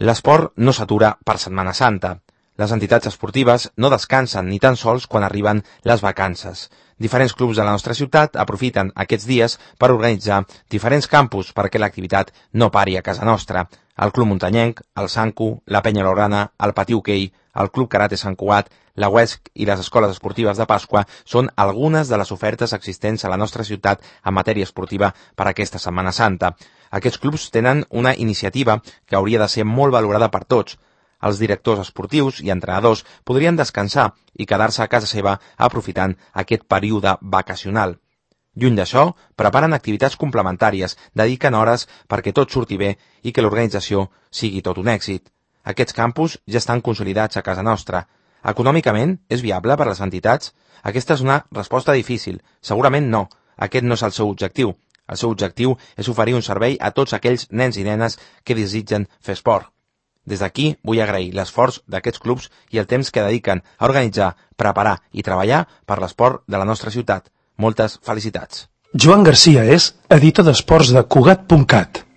L'esport no s'atura per Setmana Santa. Les entitats esportives no descansen ni tan sols quan arriben les vacances. Diferents clubs de la nostra ciutat aprofiten aquests dies per organitzar diferents campus perquè l'activitat no pari a casa nostra. El Club Muntanyenc, el Sancu, la Penya Laurana, el Patí Hoquei, el Club Karate Sant Cugat, la UESC i les escoles esportives de Pasqua són algunes de les ofertes existents a la nostra ciutat en matèria esportiva per aquesta Setmana Santa. Aquests clubs tenen una iniciativa que hauria de ser molt valorada per tots. Els directors esportius i entrenadors podrien descansar i quedar-se a casa seva aprofitant aquest període vacacional. Lluny d'això, preparen activitats complementàries, dediquen hores perquè tot surti bé i que l'organització sigui tot un èxit. Aquests campus ja estan consolidats a casa nostra. Econòmicament, és viable per a les entitats? Aquesta és una resposta difícil. Segurament no. Aquest no és el seu objectiu. El seu objectiu és oferir un servei a tots aquells nens i nenes que desitgen fer esport. Des d'aquí vull agrair l'esforç d'aquests clubs i el temps que dediquen a organitzar, preparar i treballar per l'esport de la nostra ciutat. Moltes felicitats. Joan Garcia és editor d'esports de Cugat.cat.